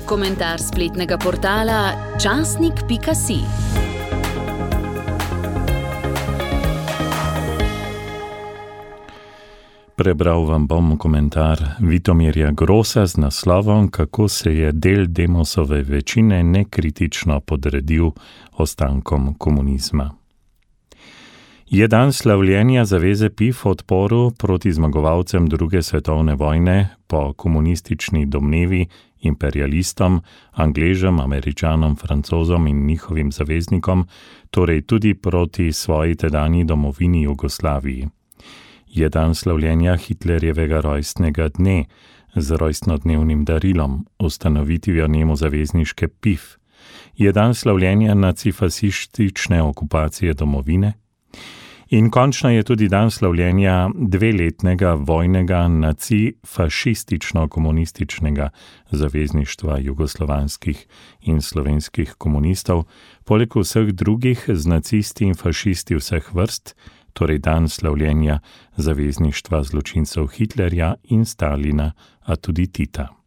Komentar spletnega portala časnik.si. Prebral vam bom komentar Vitomirja Grosa z naslovom, kako se je del Demosove večine nekritično podredil ostankom komunizma. Je dan slavljenja zaveze PIF v odporu proti zmagovalcem druge svetovne vojne po komunistični domnevi imperialistom, Angležem, Američanom, Francozom in njihovim zaveznikom, torej tudi proti svoji tedanji domovini Jugoslaviji. Je dan slavljenja Hitlerjevega rojstnega dne z rojstnodnevnim darilom, ustanovitvijo njemu zavezniške PIF. Je dan slavljenja nacifasistične okupacije domovine. In končno je tudi dan slavljenja dveletnega vojnega nacifašistično-komunističnega zavezništva jugoslovanskih in slovenskih komunistov, poleg vseh drugih z nacisti in fašisti vseh vrst, torej dan slavljenja zavezništva zločincev Hitlerja in Stalina, a tudi Tita.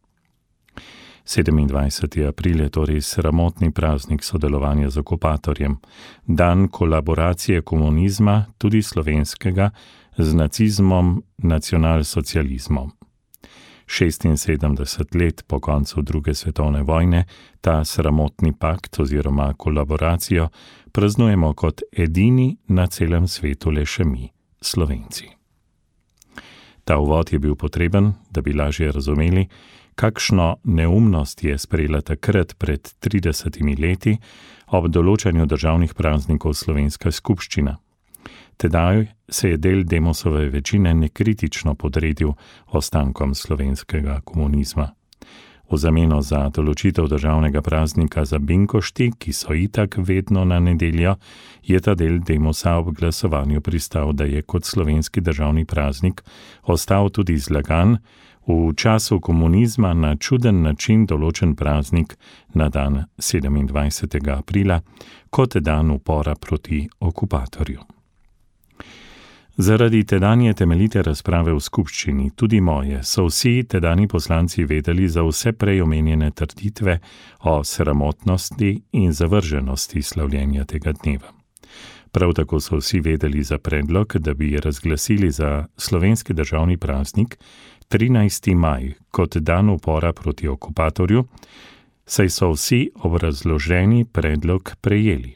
27. april je torej sramotni praznik sodelovanja z okupatorjem, dan kolaboracije komunizma, tudi slovenskega, z nacizmom, nacionalsocializmom. 76 let po koncu druge svetovne vojne ta sramotni pakt oziroma kolaboracijo praznujemo kot edini na celem svetu le še mi, Slovenci. Ta uvod je bil potreben, da bi lažje razumeli, kakšno neumnost je sprejela takrat pred 30 leti ob določanju državnih praznikov Slovenska skupščina. Tedaj se je del Demosove večine nekritično podredil ostankom slovenskega komunizma. V zameno za določitev državnega praznika za binkošti, ki so itak vedno na nedeljo, je ta del Demosa ob glasovanju pristal, da je kot slovenski državni praznik ostal tudi zlagan, v času komunizma na čuden način določen praznik na dan 27. aprila kot dan upora proti okupatorju. Zaradi tedanje temeljite razprave v skupščini, tudi moje, so vsi tedani poslanci vedeli za vse prej omenjene trditve o sramotnosti in zavrženosti slavljenja tega dneva. Prav tako so vsi vedeli za predlog, da bi razglasili za slovenski državni praznik 13. maj kot dan upora proti okupatorju, saj so vsi obrazloženi predlog prejeli.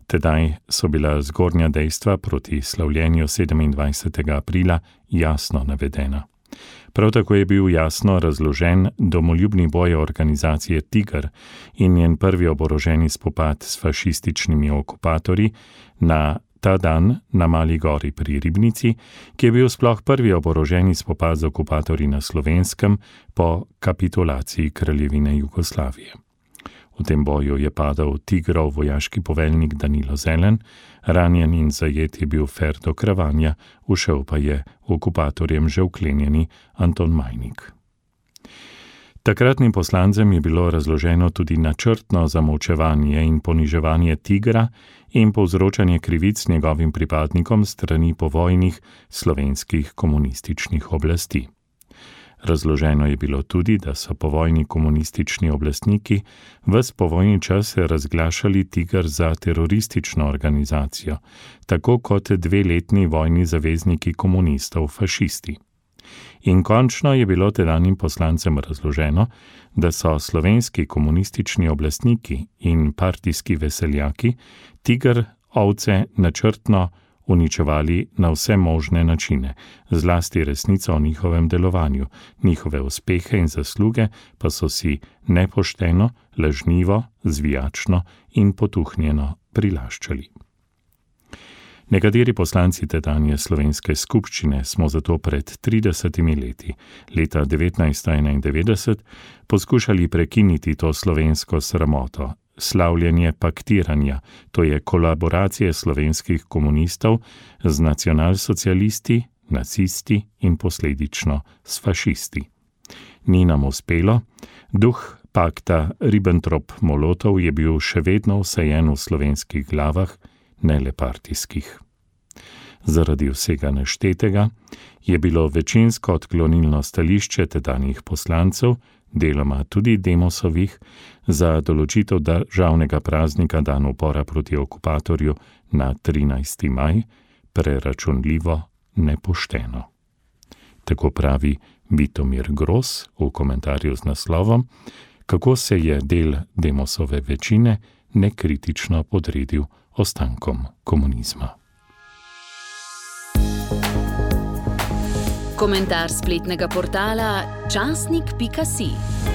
Tedaj so bila zgornja dejstva proti slavljenju 27. aprila jasno navedena. Prav tako je bil jasno razložen domoljubni boj organizacije Tiger in njen prvi oboroženi spopad s fašističnimi okupatorji na ta dan na Mali gori pri Ribnici, ki je bil sploh prvi oboroženi spopad z okupatorji na Slovenskem po kapitulaciji Kraljevine Jugoslavije. V tem boju je padal Tigrov vojaški poveljnik Danilo Zelen, ranjen in zajet je bil Ferdo Kravanja, ušel pa je okupatorjem že vklenjeni Anton Majnik. Takratnim poslancem je bilo razloženo tudi načrtno zamolčevanje in poniževanje Tigra in povzročanje krivic njegovim pripadnikom strani povojnih slovenskih komunističnih oblasti. Razloženo je bilo tudi, da so povojni komunistični oblastniki ves povojni čas razglašali Tiger za teroristično organizacijo, tako kot dveletni vojni zavezniki komunistov fašisti. In končno je bilo tedanjim poslancem razloženo, da so slovenski komunistični oblastniki in partijski veseljaki Tiger ovce načrtno uničevali na vse možne načine, zlasti resnico o njihovem delovanju, njihove uspehe in zasluge pa so si nepošteno, lažnivo, zvijačno in potuhnjeno prilaščali. Nekateri poslanci tedanje slovenske skupščine smo zato pred 30 leti, leta 1991, poskušali prekiniti to slovensko sramoto, slavljenje paktiranja, to je kolaboracije slovenskih komunistov z nacionalsocialisti, nacisti in posledično s fašisti. Ni nam uspelo, duh pakta Ribbentrop-Molotov je bil še vedno vsajen v slovenskih glavah, ne le partijskih. Zaradi vsega naštetega je bilo večinsko odklonilno stališče tedanjih poslancev deloma tudi Demosovih, za določitev državnega praznika dan upora proti okupatorju na 13. maj preračunljivo nepošteno. Tako pravi Vitomir Gros v komentarju z naslovom, kako se je del Demosove večine nekritično podredil ostankom komunizma. Komentar spletnega portala časnik.si.